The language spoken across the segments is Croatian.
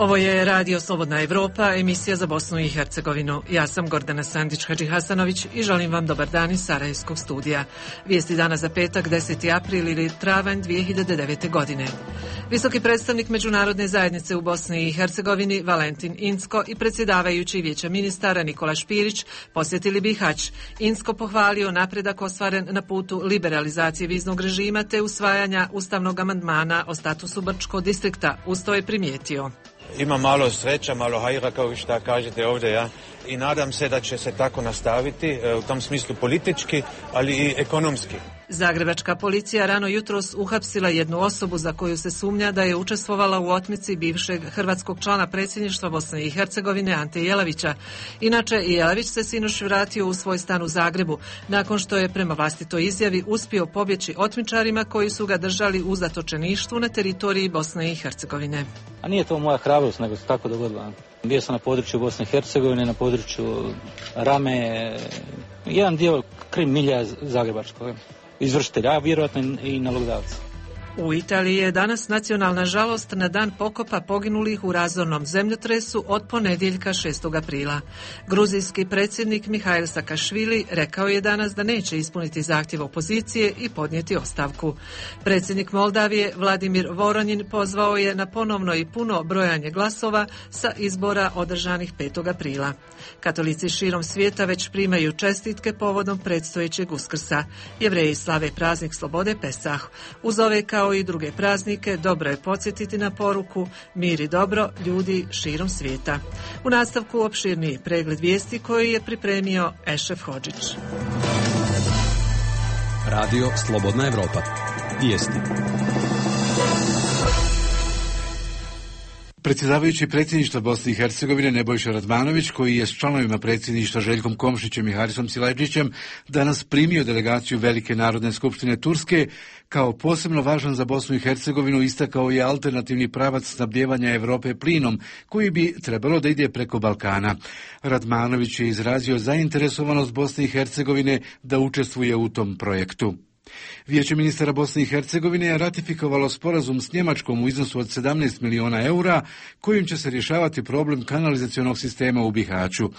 Ovo je Radio Slobodna Evropa, emisija za Bosnu i Hercegovinu. Ja sam Gordana Sandić-Hadžihasanović i želim vam dobar dan iz Sarajevskog studija. Vijesti dana za petak, 10. april ili travanj 2009. godine. Visoki predstavnik Međunarodne zajednice u Bosni i Hercegovini Valentin Incko i predsjedavajući Vijeća ministara Nikola Špirić posjetili Bihać. Incko pohvalio napredak ostvaren na putu liberalizacije viznog režima te usvajanja ustavnog amandmana o statusu Brčkog distrikta. Uz to je primijetio: ima malo sreća, malo hajra, kao što kažete ovdje, ja. I nadam se da će se tako nastaviti, u tom smislu politički, ali i ekonomski. Zagrebačka policija rano jutros uhapsila jednu osobu za koju se sumnja da je učestvovala u otmici bivšeg hrvatskog člana predsjedništva Bosne i Hercegovine Ante Jelavića. Inače, Jelavić se sinoć vratio u svoj stan u Zagrebu, nakon što je prema vlastitoj izjavi uspio pobjeći otmičarima koji su ga držali u zatočeništvu na teritoriji Bosne i Hercegovine. A nije to moja hrabrost, nego se tako dogodilo. Bio sam na području Bosne i Hercegovine, na području Rame, jedan dio krim milja Zagrebačkog izvršitelja, a vjerojatno i nalogdavca. U Italiji je danas nacionalna žalost na dan pokopa poginulih u razornom zemljotresu od ponedjeljka 6. aprila. Gruzijski predsjednik Mihail Sakašvili rekao je danas da neće ispuniti zahtjev opozicije i podnijeti ostavku. Predsjednik Moldavije Vladimir Voronjin pozvao je na ponovno i puno brojanje glasova sa izbora održanih 5. aprila. Katolici širom svijeta već primaju čestitke povodom predstojećeg Uskrsa. Jevreji slave praznik slobode Pesah. Uz ove kao i druge praznike, dobro je podsjetiti na poruku mir i dobro ljudi širom svijeta. U nastavku opširniji pregled vijesti koji je pripremio Ešef Hodžić. Radio Slobodna Evropa. Vijesti. Predsjedavajući predsjedništva Bosne i Hercegovine Nebojša Radmanović, koji je s članovima predsjedništva Željkom Komšićem i Harisom Silajdžićem danas primio delegaciju Velike narodne skupštine Turske, kao posebno važan za Bosnu i Hercegovinu istakao je alternativni pravac snabdijevanja Europe plinom, koji bi trebalo da ide preko Balkana. Radmanović je izrazio zainteresovanost Bosne i Hercegovine da učestvuje u tom projektu. Vijeće ministara Bosne i Hercegovine je ratifikovalo sporazum s Njemačkom u iznosu od 17 miliona eura, kojim će se rješavati problem kanalizacionog sistema u Bihaću.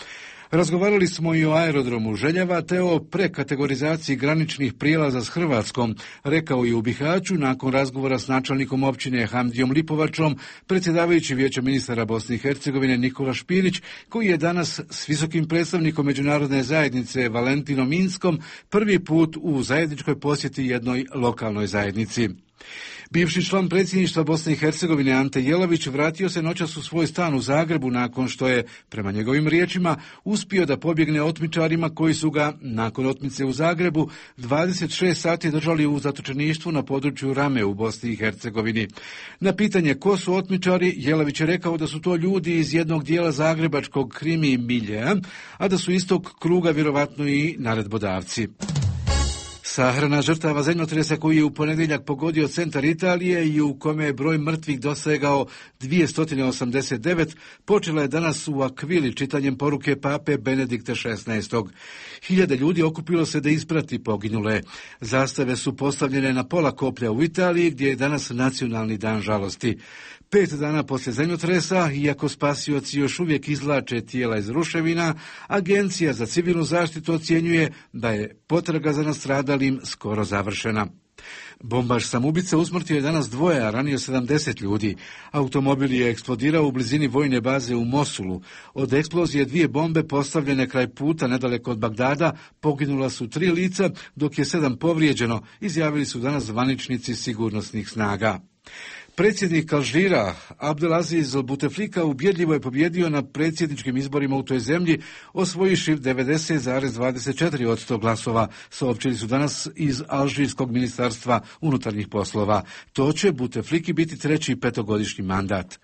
Razgovarali smo i o aerodromu Željava te o prekategorizaciji graničnih prijelaza s Hrvatskom, rekao je u Bihaću nakon razgovora s načelnikom općine Hamdijom Lipovačom, predsjedavajući Vijeća ministara Bosne i Hercegovine Nikola Špirić, koji je danas s visokim predstavnikom Međunarodne zajednice Valentinom Inskom prvi put u zajedničkoj posjeti jednoj lokalnoj zajednici. Bivši član predsjedništva Bosne i Hercegovine Ante Jelavić vratio se noćas u svoj stan u Zagrebu nakon što je, prema njegovim riječima, uspio da pobjegne otmičarima koji su ga, nakon otmice u Zagrebu, 26 sati držali u zatočeništvu na području Rame u Bosni i Hercegovini. Na pitanje ko su otmičari, Jelavić je rekao da su to ljudi iz jednog dijela zagrebačkog krimi miljeja, a da su istog kruga vjerovatno i naredbodavci. Sahrana žrtava zemljotresa koji je u ponedjeljak pogodio centar Italije i u kome je broj mrtvih dosegao 289, počela je danas u Aquili čitanjem poruke pape Benedikta XVI. Hiljade ljudi okupilo se da isprati poginule. Zastave su postavljene na pola koplja u Italiji, gdje je danas nacionalni dan žalosti. 5 dana poslije zemljotresa, iako spasioci još uvijek izvlače tijela iz ruševina, Agencija za civilnu zaštitu ocjenjuje da je potraga za nastradalim skoro završena. Bombaš samoubica usmrtio je danas 2, a ranio 70 ljudi. Automobil je eksplodirao u blizini vojne baze u Mosulu. Od eksplozije 2 bombe postavljene kraj puta nedaleko od Bagdada poginula su 3 lica, dok je 7 povrijeđeno, izjavili su danas zvaničnici sigurnosnih snaga. Predsjednik Alžira Abdelaziz Bouteflika ubjedljivo je pobjedio na predsjedničkim izborima u toj zemlji, osvojivši 90,24% glasova, saopćili su danas iz Alžirskog ministarstva unutarnjih poslova. To će Boutefliki biti 3. petogodišnji mandat.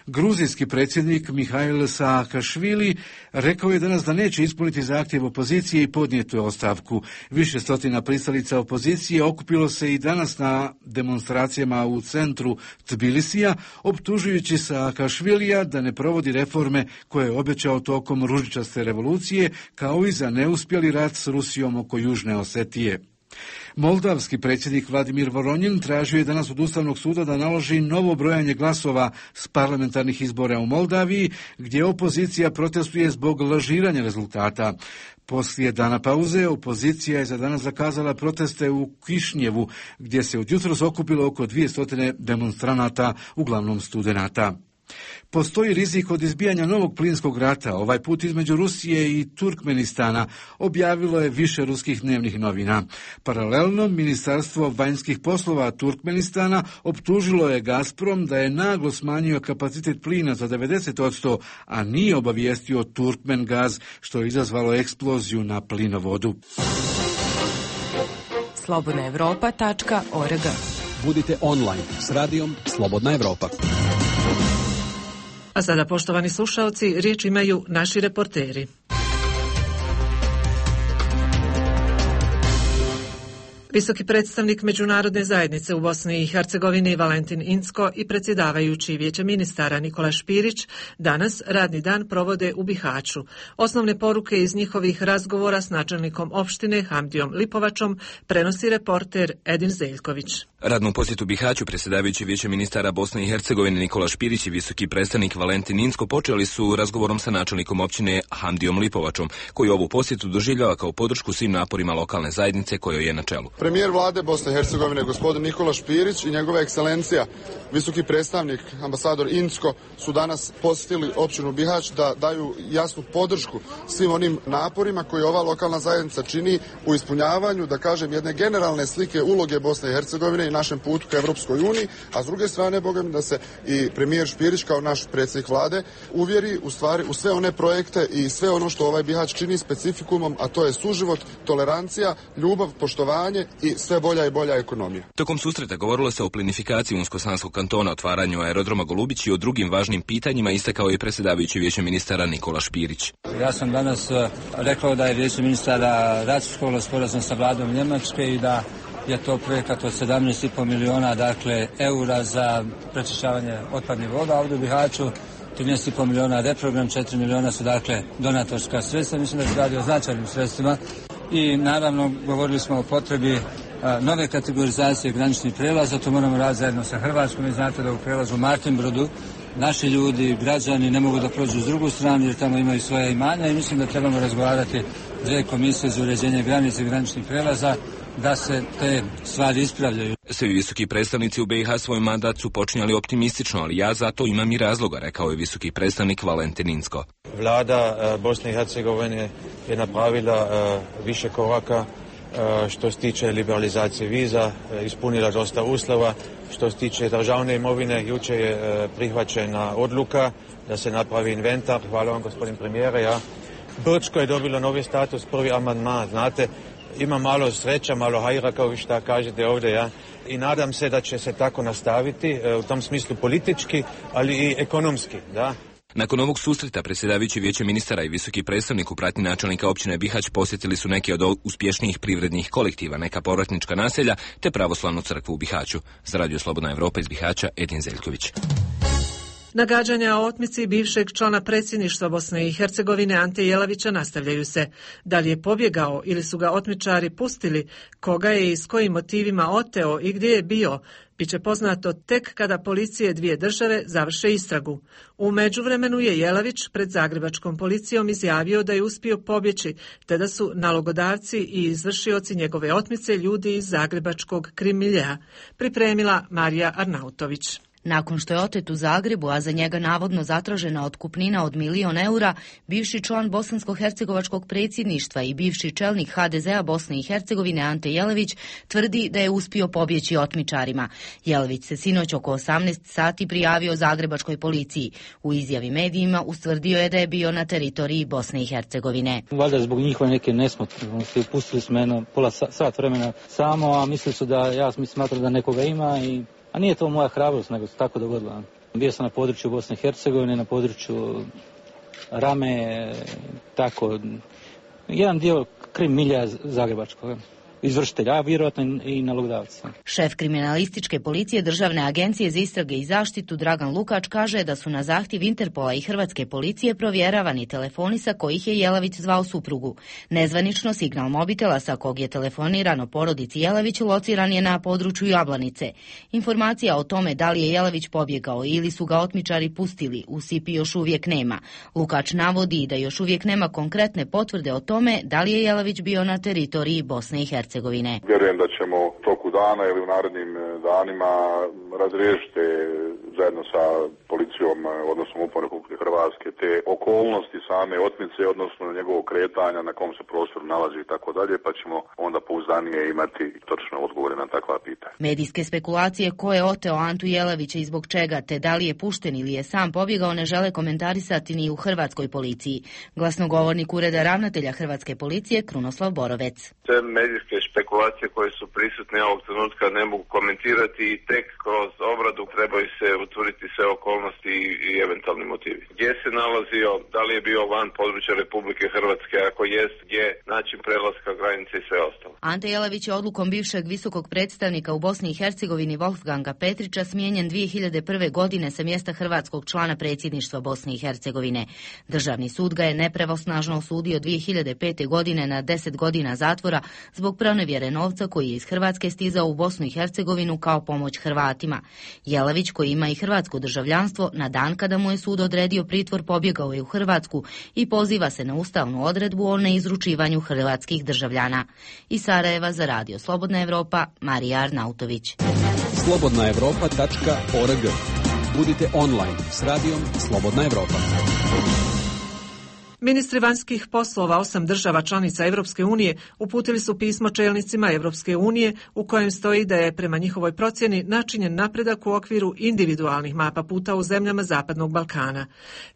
Gruzijski predsjednik Mihail Saakašvili rekao je danas da neće ispuniti zahtjev opozicije i podnijeti ostavku. Više stotina pristalica opozicije okupilo se i danas na demonstracijama u centru Tbilisija, optužujući Saakašvilija da ne provodi reforme koje je obećao tokom ružičaste revolucije, kao i za neuspjeli rat s Rusijom oko Južne Osetije. Moldavski predsjednik Vladimir Voronjin tražio je danas od Ustavnog suda da naloži novo brojanje glasova s parlamentarnih izbora u Moldaviji, gdje opozicija protestuje zbog lažiranja rezultata. Poslije dana pauze opozicija je za danas zakazala proteste u Kišnjevu, gdje se od jutros okupilo oko 200 demonstranata, uglavnom studenata. Postoji rizik od izbijanja novog plinskog rata, ovaj put između Rusije i Turkmenistana, objavilo je više ruskih dnevnih novina. Paralelno, Ministarstvo vanjskih poslova Turkmenistana optužilo je Gazprom da je naglo smanjio kapacitet plina za 90%, a nije obavijestio Turkmengaz, što je izazvalo eksploziju na plinovodu. slobodnaevropa.org. Budite online s radijom Slobodna Evropa. A sada, poštovani slušalci, riječ imaju naši reporteri. Visoki predstavnik međunarodne zajednice u Bosni i Hercegovini Valentin Incko i predsjedavajući Vijeća ministara Nikola Špirić danas radni dan provode u Bihaću. Osnovne poruke iz njihovih razgovora s načelnikom opštine Hamdijom Lipovačom prenosi reporter Edin Zeljković. Radnom posjetu Bihaću predsjedavajući Vijeća ministara Bosne i Hercegovine Nikola Špirić i visoki predstavnik Valentin Incko počeli su razgovorom sa načelnikom općine Hamdijom Lipovačom, koji ovu posjetu doživljava kao podršku svim naporima lokalne zajednice kojoj je na čelu. Premijer vlade Bosne i Hercegovine gospodin Nikola Špirić i njegova ekscelencija visoki predstavnik ambasador Incko su danas posjetili općinu Bihać da daju jasnu podršku svim onim naporima koje ova lokalna zajednica čini u ispunjavanju, da kažem, jedne generalne slike uloge Bosne i Hercegovine i našem putu ka Evropskoj uniji, a s druge strane, bogam, da se i premijer Špirić kao naš predsjednik vlade uvjeri u stvari u sve one projekte i sve ono što ovaj Bihać čini specifikumom, a to je suživot, tolerancija, ljubav, poštovanje i sve bolja i bolja ekonomija. Tokom susreta govorilo se o plinifikaciji Unsko-Sanskog kantona, otvaranju aerodroma Golubić i o drugim važnim pitanjima, istakao je predsjedavajući Vijeća ministara Nikola Špirić. Ja sam danas rekao da je Vijeće ministara ratifikovalo sporazum sa vladom Njemačke i da je to projekat od 17,5 miliona eura za prečišćavanje otpadnih voda ovdje u Bihaću. 13,5 miliona reprogram, 4 miliona su donatorska sredstva. Mislim da se radi o značajnim sredstvima. I naravno govorili smo o potrebi nove kategorizacije graničnih prelaza. To moramo raditi zajedno sa Hrvatskom. Vi znate da u prelazu Martinbrodu naši ljudi, građani ne mogu da prođu s drugu stranu jer tamo imaju svoje imanja i mislim da trebamo razgovarati dvije komisije za uređenje granice i graničnih prelaza da se te stvari ispravljaju. Svi visoki predstavnici u BiH svoj mandat su počinjali optimistično, ali ja za to imam i razloga, rekao je visoki predstavnik Valentin Incko. Vlada Bosne i Hercegovine je napravila više koraka što se tiče liberalizacije viza, ispunila dosta uslova. Što se tiče državne imovine, jučer je prihvaćena odluka da se napravi inventar. Hvala vam, gospodin premijere. Ja. Brčko je dobilo novi status, prvi amandman, znate. Ima malo sreća, malo hajra, kao što kažete ovdje, ja. I nadam se da će se tako nastaviti, u tom smislu politički, ali i ekonomski, da. Nakon ovog susreta predsjedavajući Vijeća ministara i visoki predstavnik u pratnji načelnika općine Bihać posjetili su neke od uspješnijih privrednih kolektiva, neka povratnička naselja te pravoslavnu crkvu u Bihaću. Za Radio Slobodna Evropa iz Bihaća, Edin Zeljković. Nagađanja o otmici bivšeg člana predsjedništva Bosne i Hercegovine Ante Jelavića nastavljaju se. Da li je pobjegao ili su ga otmičari pustili, koga je i s kojim motivima oteo i gdje je bio, biće poznato tek kada policije dvije države završe istragu. U međuvremenu je Jelavić pred zagrebačkom policijom izjavio da je uspio pobjeći, te da su nalogodavci i izvršioci njegove otmice ljudi iz zagrebačkog krim miljea. Pripremila Marija Arnautović. Nakon što je otet u Zagrebu, a za njega navodno zatražena otkupnina od 1.000.000 eura, bivši član bosansko-hercegovačkog predsjedništva i bivši čelnik HDZ-a Bosne i Hercegovine Ante Jelavić tvrdi da je uspio pobjeći otmičarima. Jelavić se sinoć oko 18 sati prijavio zagrebačkoj policiji. U izjavi medijima ustvrdio je da je bio na teritoriji Bosne i Hercegovine. Valjda zbog njihove neke nesmotrenosti pustili smo jedno pola sat vremena samo, a mislili su da ja smatram da nekoga ima a nije to moja hrabrost, nego se tako dogodilo. Bio sam na području Bosne i Hercegovine, na području Rame, tako, jedan dio krim milja zagrebačkog. izvršitelja, a vjerojatno i nalogodavca. Šef kriminalističke policije Državne agencije za istrage i zaštitu Dragan Lukač kaže da su na zahtjev Interpola i hrvatske policije provjeravani telefoni sa kojih je Jelavić zvao suprugu. Nezvanično signal mobitela sa kog je telefonirano porodici Jelavić lociran je na području Jablanice. Informacija o tome da li je Jelavić pobjegao ili su ga otmičari pustili u SIP još uvijek nema. Lukač navodi da još uvijek nema konkretne potvrde o tome da li je Jelavić bio na teritoriji Bosne i Hercegovine. Vjerujem da ćemo toku dana ili u narednim danima razriješiti zajedno sa policijom, odnosno MUP-om Republike Hrvatske, te okolnosti same otmice, odnosno njegovog kretanja, na kom se prostoru nalazi i tako dalje, pa ćemo onda pouzdanije imati točne odgovore na takva pitanja. Medijske spekulacije ko je oteo Antu Jelavića i zbog čega, te da li je pušten ili je sam pobjegao, ne žele komentarisati ni u hrvatskoj policiji. Glasnogovornik Ureda ravnatelja hrvatske policije Krunoslav Borovec. Sve medijske špekulacije koje su prisutne ovog trenutka ne mogu komentirati i tek kroz obradu trebaju se utvrditi sve okolnosti i eventualni motivi. Gdje se nalazio, da li je bio van područja Republike Hrvatske, ako jest, gdje, način prelaska granice i sve ostalo. Ante Jelavić je odlukom bivšeg visokog predstavnika u Bosni i Hercegovini Wolfganga Petrića smijenjen 2001. godine sa mjesta hrvatskog člana predsjedništva Bosne i Hercegovine. Državni sud ga je nepravosnažno osudio 2005. godine na 10 godina zatvora zbog pronevjere novca koji je iz Hrvatske stizao u Bosnu i Hercegovinu kao pomoć Hrvatima. Jelavić, koji ima i hrvatsko državljanstvo, na dan kada mu je sud odredio pritvor pobjegao je u Hrvatsku i poziva se na ustavnu odredbu o neizručivanju hrvatskih državljana. Iz Sarajeva za Radio Slobodna Evropa, Marija Arnautović. slobodnaevropa.org. Budite online s radijom Slobodna Evropa. Ministri vanjskih poslova 8 država članica Europske unije uputili su pismo čelnicima Europske unije u kojem stoji da je prema njihovoj procjeni načinjen napredak u okviru individualnih mapa puta u zemljama Zapadnog Balkana.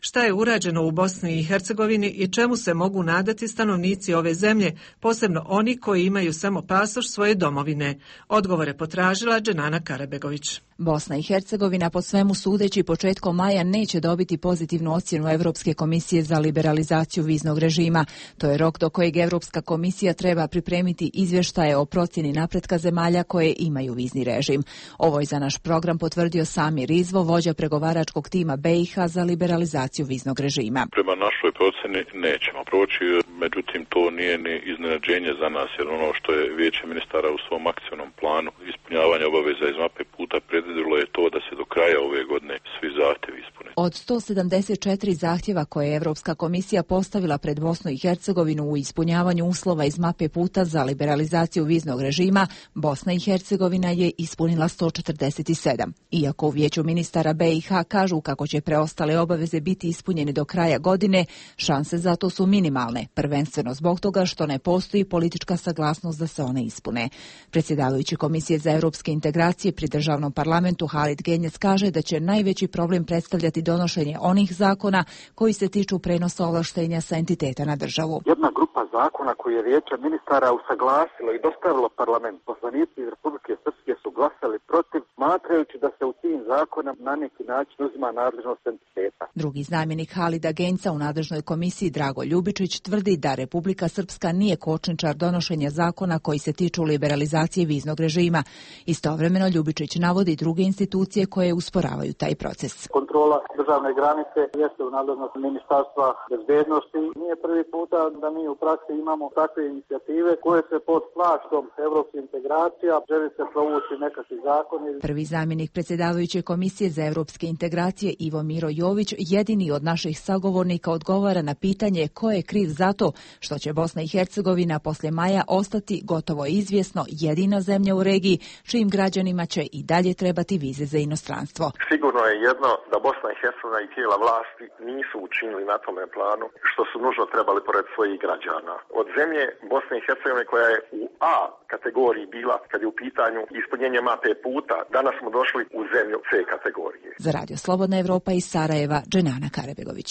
Šta je urađeno u Bosni i Hercegovini i čemu se mogu nadati stanovnici ove zemlje, posebno oni koji imaju samo pasoš svoje domovine? Odgovore potražila Dženana Karabegović. Bosna i Hercegovina po svemu sudeći početkom maja neće dobiti pozitivnu ocjenu Europske komisije za liberalizaciju viznog režima. To je rok do kojeg Europska komisija treba pripremiti izvještaje o procjeni napretka zemalja koje imaju vizni režim. Ovo je za naš program potvrdio Samir Rizvo, vođa pregovaračkog tima BiH za liberalizaciju viznog režima. Prema našoj procjeni nećemo proći, međutim to nije ni iznenađenje za nas, jer ono što je Vijeće ministara u svom akcijnom planu ispunjavanja obaveza iz mape puta predvidjelo je to da se do kraja ove godine svi zahtjevi ispune. Od 174 zahtjeva koje je Europska komisija postavila pred Bosnu i Hercegovinu u ispunjavanju uslova iz mape puta za liberalizaciju viznog režima, Bosna i Hercegovina je ispunila 147. Iako u Vijeću ministara BiH kažu kako će preostale obaveze biti ispunjene do kraja godine, šanse za to su minimalne, prvenstveno zbog toga što ne postoji politička saglasnost da se one ispune. Predsjedavajući Komisije za europske integracije pri državnom parlamentu Halid Genjec kaže da će najveći problem predstavljati donošenje onih zakona koji se tiču prenosa ovlaštenja sa entiteta na državu. Jedna grupa zakona koju je Vijeće ministara usaglasilo i dostavilo parlament, poslanici iz Republike Srpske su glasali protiv, smatrajući da se u tim zakonima na neki način uzima nadležnost entiteta. Drugi zamjenik Halida Genjca u nadležnoj komisiji Drago Ljubičić tvrdi da Republika Srpska nije kočničar donošenja zakona koji se tiču liberalizacije viznog režima. Istovremeno Ljubičić navodi druge institucije koje usporavaju taj proces. Kontrola državne granice jeste u nadležnosti Ministarstva bezbednosti. Nije prvi puta da mi u praksi imamo takve inicijative koje se pod plaštom evropskih integracija želi se provući nekakvi zakoni. Prvi zamjenik predsjedavajuće Komisije za europske integracije Ivo Miro Jović jedini od naših sagovornika odgovara na pitanje ko je kriv za to što će Bosna i Hercegovina poslije maja ostati gotovo izvjesno jedina zemlja u regiji čijim građanima će i dalje trebati vize za inostranstvo. Sigurno je jedno da Bosna i Hercegovina i tijela vlasti nisu učinili na tome planu što su nužno trebali pored svojih građana. Od zemlje Bosne i Hercegovine koja je u A kategoriji bila kad je u pitanju ispunjenje mape puta, danas smo došli u zemlju C kategorije. Za Radio Slobodna Evropa iz Sarajeva, Dženana Karabegović.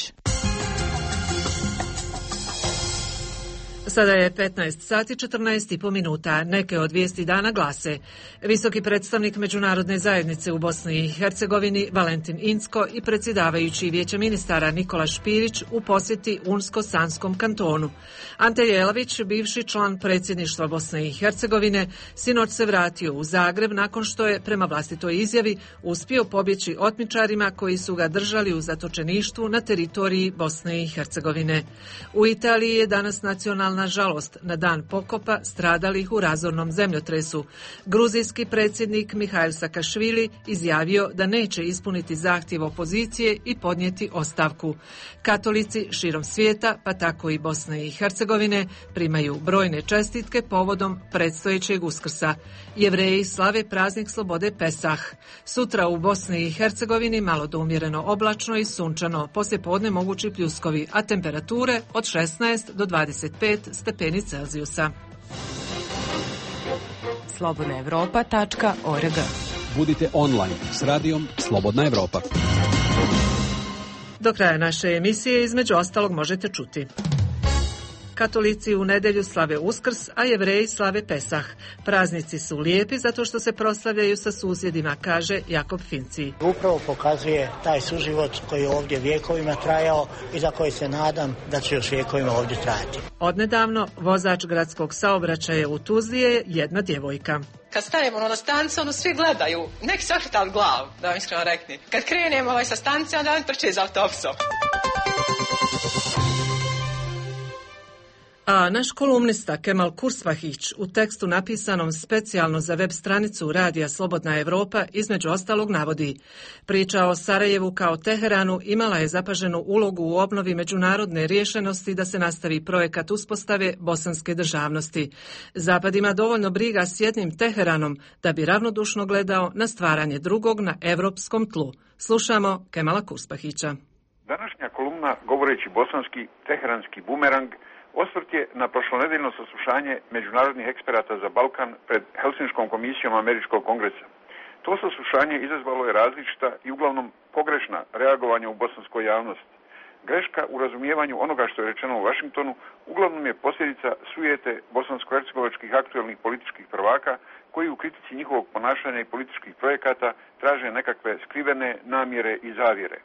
Sada je 15 sati 14,5 minuta. Neke od vijesti dana glase: visoki predstavnik međunarodne zajednice u Bosni i Hercegovini Valentin Incko i predsjedavajući Vijeća ministara Nikola Špirić u posjeti Unsko-Sanskom kantonu. Ante Jelavić, bivši član predsjedništva Bosne i Hercegovine, sinoć se vratio u Zagreb nakon što je, prema vlastitoj izjavi, uspio pobjeći otmičarima koji su ga držali u zatočeništvu na teritoriji Bosne i Hercegovine. U Italiji je danas nacionalna žalost na dan pokopa stradalih u razornom zemljotresu. Gruzijski predsjednik Mihail Sakašvili izjavio da neće ispuniti zahtjev opozicije i podnijeti ostavku. Katolici širom svijeta, pa tako i Bosne i Hercegovine, primaju brojne čestitke povodom predstojećeg Uskrsa. Jevreji slave praznik slobode Pesah. Sutra u Bosni i Hercegovini malo do umjereno oblačno i sunčano, poslijepodne mogući pljuskovi, a temperature od 16 do 25 stepeni Celzijusa. slobodnaevropa.org. Budite online s radijom Slobodna Evropa. Do kraja naše emisije između ostalog možete čuti: katolici u nedjelju slave Uskrs, a Jevreji slave Pesah. Praznici su lijepi zato što se proslavljaju sa susjedima, kaže Jakob Finci. Upravo pokazuje taj suživot koji je ovdje vjekovima trajao i za koji se nadam da će još vjekovima ovdje trajati. Odnedavno vozač gradskog saobraćaja u Tuzli je jedna djevojka. Kad stanemo na stanicu, svi gledaju. Nek se ohrtali glavu, da vam iskreno rekni. Kad krenemo sa stanice, onda on trče za autobusom. A naš kolumnista Kemal Kursvahić u tekstu napisanom specijalno za web stranicu Radija Slobodna Evropa između ostalog navodi: priča o Sarajevu kao Teheranu imala je zapaženu ulogu u obnovi međunarodne riješenosti da se nastavi projekat uspostave bosanske državnosti. Zapad ima dovoljno briga s jednim Teheranom da bi ravnodušno gledao na stvaranje drugog na evropskom tlu. Slušamo Kemala Kursvahića. Današnja kolumna, govoreći bosanski teheranski bumerang, osvrt je na prošlonedeljno saslušanje međunarodnih eksperata za Balkan pred Helsinškom komisijom Američkog kongresa. To saslušanje izazvalo je različita i uglavnom pogrešna reagovanja u bosanskoj javnosti. Greška u razumijevanju onoga što je rečeno u Vašingtonu uglavnom je posljedica sujete bosansko-hercegovačkih aktuelnih političkih prvaka koji u kritici njihovog ponašanja i političkih projekata traže nekakve skrivene namjere i zavjere.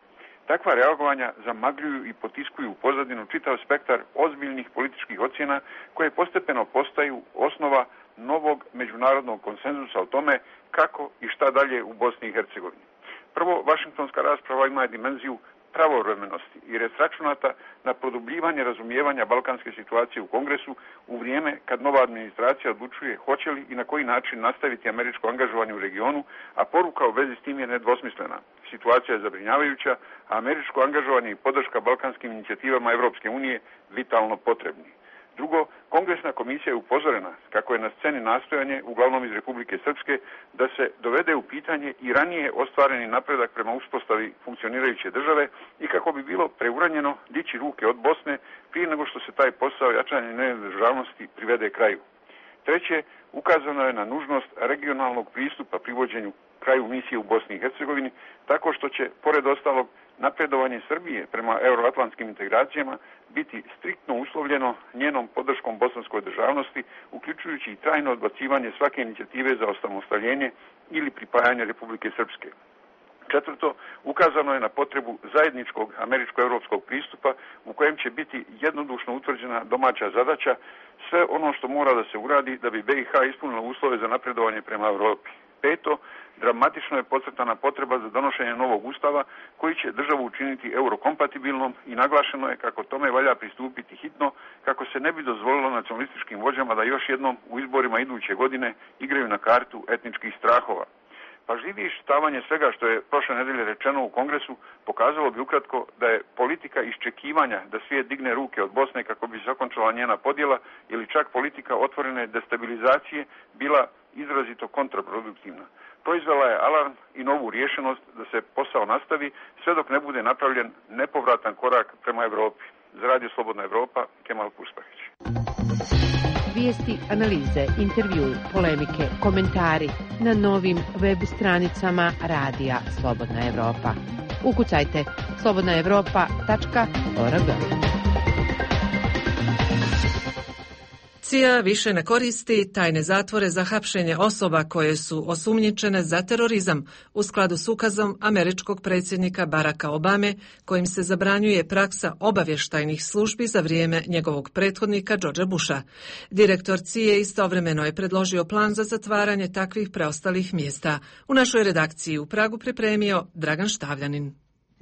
Takva reagovanja zamagljuju i potiskuju u pozadinu čitav spektar ozbiljnih političkih ocjena koje postepeno postaju osnova novog međunarodnog konsenzusa o tome kako i šta dalje u Bosni i Hercegovini. Prvo, vašingtonska rasprava ima dimenziju pravovremenosti i je sračunata na produbljivanje razumijevanja balkanske situacije u Kongresu u vrijeme kad nova administracija odlučuje hoće li i na koji način nastaviti američko angažovanje u regionu, a poruka u vezi s tim je nedvosmislena. Situacija je zabrinjavajuća, a američko angažovanje i podrška balkanskim inicijativama Evropske unije vitalno potrebni. Drugo, Kongresna komisija je upozorena kako je na sceni nastojanje, uglavnom iz Republike Srpske, da se dovede u pitanje i ranije ostvareni napredak prema uspostavi funkcionirajuće države i kako bi bilo preuranjeno dići ruke od Bosne prije nego što se taj posao jačanja njene državnosti privede kraju. Treće, ukazano je na nužnost regionalnog pristupa privođenju kraju misije u Bosni i Hercegovini, tako što će, pored ostalog, napredovanje Srbije prema euroatlantskim integracijama biti striktno uslovljeno njenom podrškom bosanskoj državnosti, uključujući i trajno odbacivanje svake inicijative za osamostaljenje ili pripajanje Republike Srpske. Četvrto, ukazano je na potrebu zajedničkog američko-evropskog pristupa u kojem će biti jednodušno utvrđena domaća zadaća, sve ono što mora da se uradi da bi BiH ispunila uslove za napredovanje prema Europi. Peto, dramatično je podcrtana potreba za donošenje novog ustava koji će državu učiniti eurokompatibilnom i naglašeno je kako tome valja pristupiti hitno kako se ne bi dozvolilo nacionalističkim vođama da još jednom u izborima iduće godine igraju na kartu etničkih strahova. Pažljivije iščitavanje svega što je prošle nedelje rečeno u Kongresu pokazalo bi ukratko da je politika iščekivanja da svijet digne ruke od Bosne kako bi se okončala njena podjela ili čak politika otvorene destabilizacije bila izrazito kontraproduktivna. Proizvela je alarm i novu rješenost da se posao nastavi sve dok ne bude napravljen nepovratan korak prema Europi. Za Radio Slobodna Evropa, Kemal Kursvahić. Vijesti, analize, intervjui, polemike, komentari na novim web stranicama Radija Slobodna Evropa. Ukucajte slobodnaevropa.org. CIA više ne koristi tajne zatvore za hapšenje osoba koje su osumnjičene za terorizam u skladu s ukazom američkog predsjednika Baracka Obame, kojim se zabranjuje praksa obavještajnih službi za vrijeme njegovog prethodnika Georgea Busha. Direktor CIA istovremeno je predložio plan za zatvaranje takvih preostalih mjesta. U našoj redakciji u Pragu pripremio Dragan Štavljanin.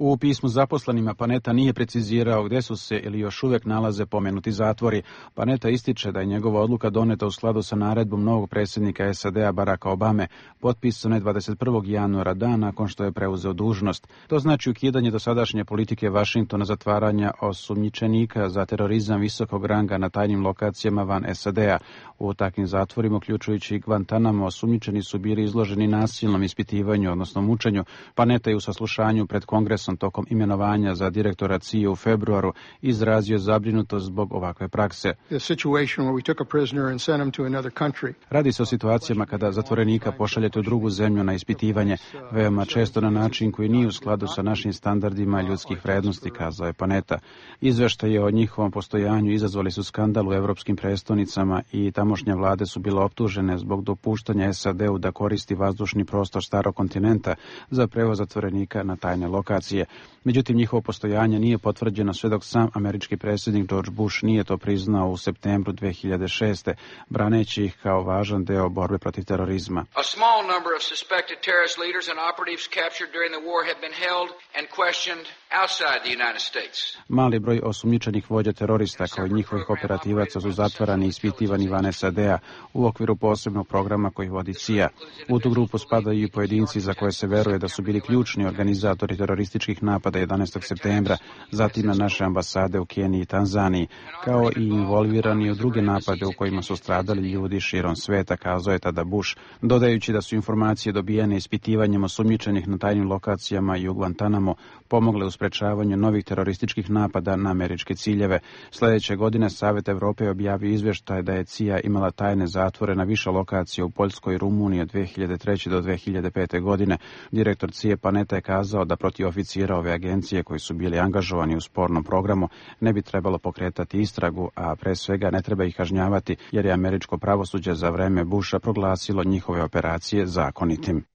U pismu zaposlenima Panetta nije precizirao gdje su se ili još uvijek nalaze pomenuti zatvori. Panetta ističe da je njegova odluka doneta u skladu sa naredbom novog predsjednika SAD-a Baracka Obame, potpisane 21. januara, dan nakon što je preuzeo dužnost. To znači ukidanje dosadašnje politike Vašingtona zatvaranja osumnjičenika za terorizam visokog ranga na tajnim lokacijama van SAD-a. U takvim zatvorima, uključujući i Guantanamo, osumnjičeni su bili izloženi nasilnom ispitivanju, odnosno mučenju. Panetta je u saslušanju pred Kongresom tokom imenovanja za direktora CIA u februaru izrazio zabrinutost zbog ovakve prakse. Radi se o situacijama kada zatvorenika pošaljete u drugu zemlju na ispitivanje, veoma često na način koji nije u skladu sa našim standardima ljudskih vrednosti, kazao je Panetta. Izveštaje o njihovom postojanju izazvali su skandal u evropskim prestonicama i tamošnje vlade su bile optužene zbog dopuštanja SAD-u da koristi vazdušni prostor starog kontinenta za prevoz zatvorenika na tajne lokacije. Međutim, njihovo postojanje nije potvrđeno sve dok sam američki predsjednik George Bush nije to priznao u septembru 2006. braneći ih kao važan deo borbe protiv terorizma. A small number of suspected terrorist leaders and operatives captured during the war have been held and questioned outside the United States. Mali broj osumnjičenih vođa terorista kao i njihovih operativaca su zatvarani i ispitivani van SAD-a u okviru posebnog programa koji vodi CIA. U tu grupu spadaju i pojedinci za koje se veruje da su bili ključni organizatori terorističkih napada 11. septembra, zatim na naše ambasade u Keniji i Tanzaniji, kao i involvirani u druge napade u kojima su stradali ljudi širom sveta, kazao je tada Bush, dodajući da su informacije dobijene ispitivanjem osumnjičenih na tajnim lokacijama i u Guantanamo pomogle u sprečavanju novih terorističkih napada na američke ciljeve. Sljedeće godine Savjet Evrope objavio izvještaj da je CIA imala tajne zatvore na više lokacija u Poljskoj i Rumuniji od 2003. do 2005. godine. Direktor CIA Panetta je kazao da protiv oficira ove agencije koji su bili angažovani u spornom programu ne bi trebalo pokretati istragu, a pre svega ne treba ih kažnjavati jer je američko pravosuđe za vreme Busha proglasilo njihove operacije zakonitim.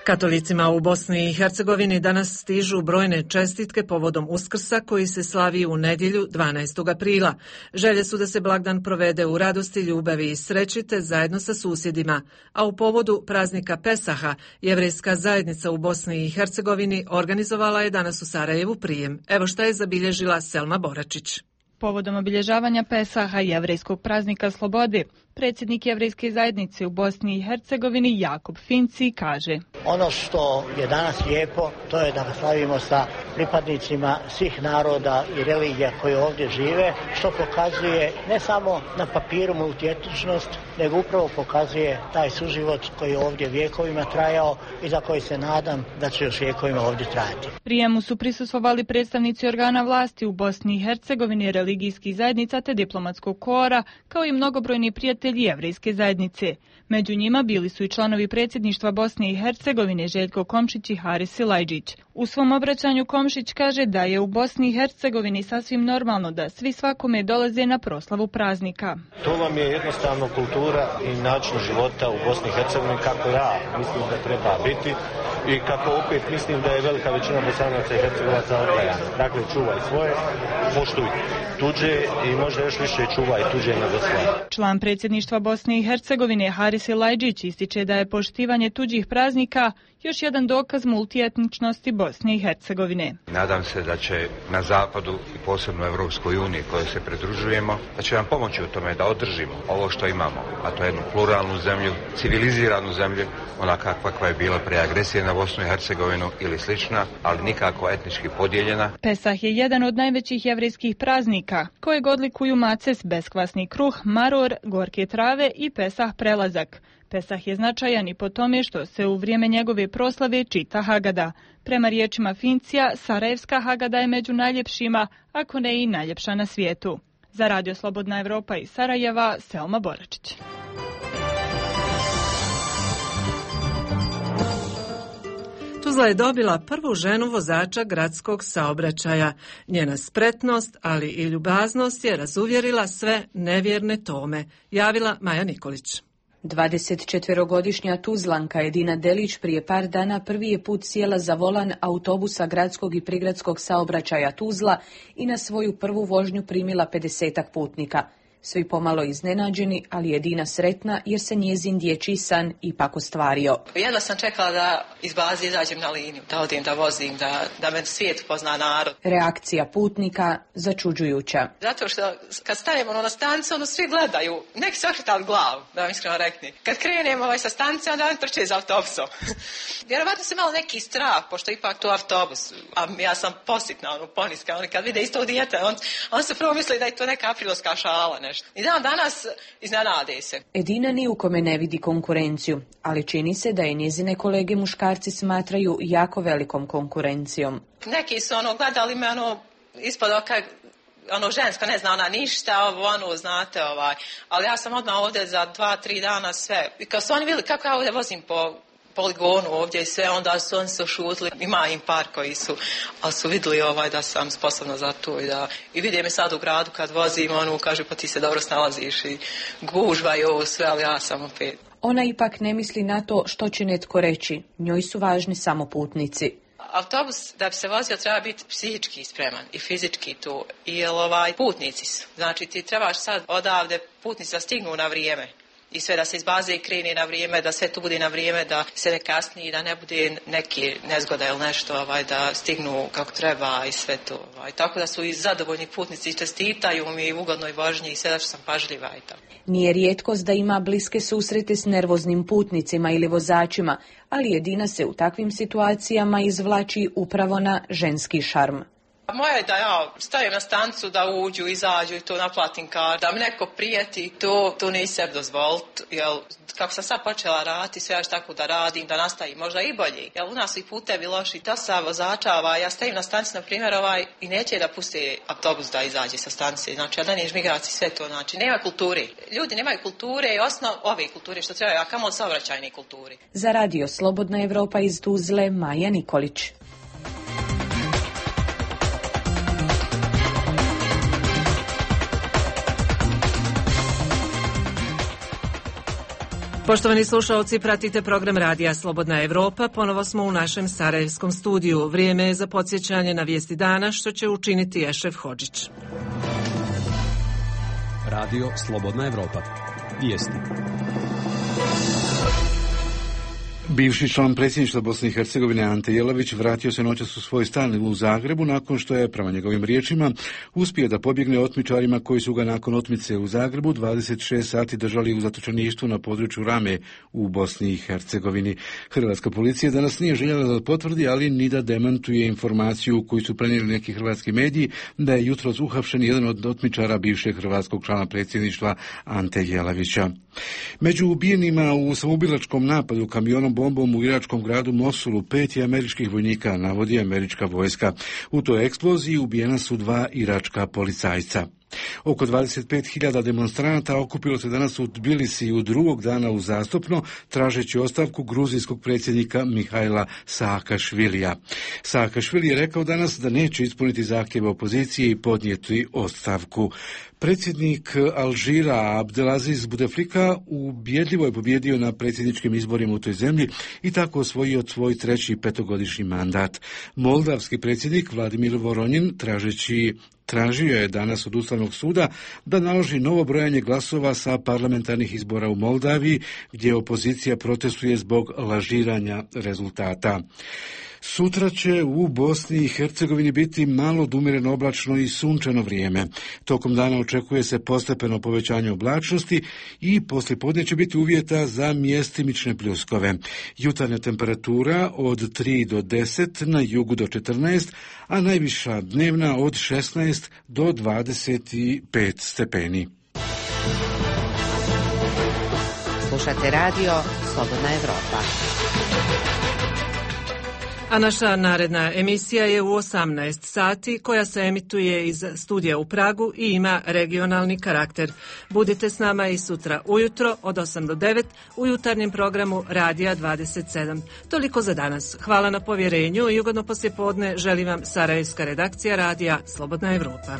Katolicima u Bosni i Hercegovini danas stižu brojne čestitke povodom Uskrsa koji se slavi u nedjelju 12. aprila. Želje su da se blagdan provede u radosti, ljubavi i sreći te zajedno sa susjedima, a u povodu praznika Pesaha jevrejska zajednica u Bosni i Hercegovini organizovala je danas u Sarajevu prijem. Evo šta je zabilježila Selma Boračić. Povodom obilježavanja Pesaha, jevrejskog praznika slobode, predsjednik jevrejske zajednice u Bosni i Hercegovini Jakub Finci kaže: Ono što je danas lijepo, to je da ga slavimo sa pripadnicima svih naroda i religija koji ovdje žive, što pokazuje ne samo na papiru multietničnost, nego upravo pokazuje taj suživot koji je ovdje vjekovima trajao i za koji se nadam da će još vjekovima ovdje trajati. Prijemu su prisustvovali predstavnici organa vlasti u Bosni i Hercegovini, religijskih zajednica te diplomatskog kora, kao i mnogobrojni prijatelji jevrejske zajednice. Među njima bili su i članovi predsjedništva Bosne i Hercegovine Željko Komšić i Haris Silajdžić. U svom obraćanju Komšić kaže da je u Bosni i Hercegovini sasvim normalno da svi svakome dolaze na proslavu praznika. To vam je jednostavno kultura i način života u Bosni i Hercegovini kako ja mislim da treba biti i kako opet mislim da je velika većina Bosanaca i Hercegovaca odgajana. Dakle, čuvaj svoje, poštuj tuđe i možda još više čuvaj tuđe nego svoje. Član predsjedništva Bosne i Hercegovine Haris Silajdžić ističe da je poštivanje tuđih praznika još jedan dokaz multietničnosti Bosne i Hercegovine. Nadam se da će na zapadu i posebno Evropskoj uniji kojoj se pridružujemo, da će nam pomoći u tome da održimo ovo što imamo, a to je jednu pluralnu zemlju, civiliziranu zemlju, onaka kakva je bila prije agresije na Bosnu i Hercegovinu ili slična, ali nikako etnički podijeljena. Pesah je jedan od najvećih jevrejskih praznika, kojeg odlikuju maces, beskvasni kruh, maror, gorke trave i Pesah prelazak. Pesah je značajan i po tome što se u vrijeme njegove proslave čita Hagada. Prema riječima Fincija, Sarajevska Hagada je među najljepšima, ako ne i najljepša na svijetu. Za Radio Slobodna Evropa iz Sarajeva, Selma Boračić. Tuzla je dobila prvu ženu vozača gradskog saobraćaja. Njena spretnost, ali i ljubaznost je razuvjerila sve nevjerne Tome, javila Maja Nikolić. 24-godišnja Tuzlanka Edina Delić prije par dana prvi je put sjela za volan autobusa gradskog i prigradskog saobraćaja Tuzla i na svoju prvu vožnju primila 50-ak putnika. Svi pomalo iznenađeni, ali Edina sretna jer se njezin dječji san ipak ostvario. Jedva sam čekala da iz baze izađem na liniju, da odim, da vozim, da me svijet pozna narod. Reakcija putnika začuđujuća. Zato što kad stanemo na stanicu, svi gledaju, neki se okretali glavu, da vam iskreno rekni. Kad krenemo sa stanice, onda oni trče za autobusom. Vjerovatno se malo neki strah, pošto ipak to autobus, a ja sam positna, poniska, oni kad vide isto dijete, on se prvo misli da je to neka aprilska šala. I dan danas iznenade se. Edina ni u kome ne vidi konkurenciju, ali čini se da je njezine kolege muškarci smatraju jako velikom konkurencijom. Neki su gledali me ispod oka, žensko, ne zna ona ništa, znate, ali ja sam odmah ovdje za 2-3 dana sve. I kad su oni vidjeli kako ja ovdje vozim po poligonu ovdje i sve, onda su oni se šutili. Ima im par koji su, ali su vidjeli da sam sposobna za to i vide me sad u gradu kad vozim, kaže pa ti se dobro snalaziš i gužva i ovo sve, ali ja sam opet. Ona ipak ne misli na to što će netko reći, njoj su važni samo putnici. Autobus da bi se vozio treba biti psihički spreman i fizički tu, jer putnici su. Znači ti trebaš sad odavde putnici da stignu na vrijeme. I sve da se iz baze i krene na vrijeme, da sve tu bude na vrijeme, da se ne kasni, da ne bude neki nezgoda ili nešto, da stignu kako treba i sve to. Tako da su i zadovoljni putnici i čestitaju mi u ugodnoj vožnji i sve da što sam pažljiva i tako. Nije rijetkost da ima bliske susrete s nervoznim putnicima ili vozačima, ali Edina se u takvim situacijama izvlači upravo na ženski šarm. Moje je da ja stavim na stancu da uđu, izađu i to naplatim kar, da mi neko prijeti, to neće sebi dozvoliti, jer kako sam sad počela raditi, sve ja tako da radim, da nastavim možda i bolje, jer u nas su i putevi loši, to sa vozača, ja stavim na stanci, na primjer, i neće da pusti autobus da izađe sa stanice, znači, da nije žmigaci, sve to, znači, nema kulture. Ljudi nemaju kulture i osnov ove kulture što trebaju, a kamo saobraćajne kulture. Za radio Slobodna Evropa iz Tuzle, Maja Nikolić. Poštovani slušalci, pratite program Radija Slobodna Evropa. Ponovo smo u našem sarajevskom studiju. Vrijeme je za podsjećanje na vijesti dana, što će učiniti Ešref Hodžić. Radio Slobodna Evropa. Vijesti. Bivši član predsjedništva Bosne i Hercegovine Ante Jelavić vratio se noćas u svoj stan u Zagrebu nakon što je, prema njegovim riječima, uspio da pobjegne otmičarima koji su ga nakon otmice u Zagrebu 26 sati držali u zatočeništvu na području Rame u Bosni i Hercegovini. Hrvatska policija danas nije željela da potvrdi, ali ni da demantuje informaciju koju su prenijeli neki hrvatski mediji da je jutros uhapšen jedan od otmičara bivšeg hrvatskog člana predsjedništva Ante Jelavića. Među ubijenima u samoubilačkom napadu kamionom bombom u iračkom gradu Mosulu 5 je američkih vojnika, navodi američka vojska. U toj eksploziji ubijena su 2 iračka policajca. Oko 25.000 demonstranata okupilo se danas u Tbilisiju drugog dana uzastopno, tražeći ostavku gruzijskog predsjednika Mihajla Saakašvilija. Saakašvili je rekao danas da neće ispuniti zahtjeve opozicije i podnijeti ostavku. Predsjednik Alžira Abdelaziz Bouteflika ubjedljivo je pobjedio na predsjedničkim izborima u toj zemlji i tako osvojio svoj 3. petogodišnji mandat. Moldavski predsjednik Vladimir Voronjin tražio je danas od Ustavnog suda da naloži novo brojanje glasova sa parlamentarnih izbora u Moldaviji, gdje opozicija protestuje zbog lažiranja rezultata. Sutra će u Bosni i Hercegovini biti malo odumjereno oblačno i sunčano vrijeme. Tokom dana očekuje se postepeno povećanje oblačnosti i poslijepodne će biti uvjeta za mjestimične pljuskove. Jutarnja temperatura od 3 do 10, na jugu do 14, a najviša dnevna od 16 do 25 stepeni. Slušate radio Slobodna Evropa. A naša naredna emisija je u 18 sati koja se emituje iz studija u Pragu i ima regionalni karakter. Budite s nama i sutra ujutro od 8 do 9 u jutarnjem programu Radija 27. Toliko za danas. Hvala na povjerenju i ugodno poslijepodne želim vam sarajevska redakcija Radija Slobodna Evropa.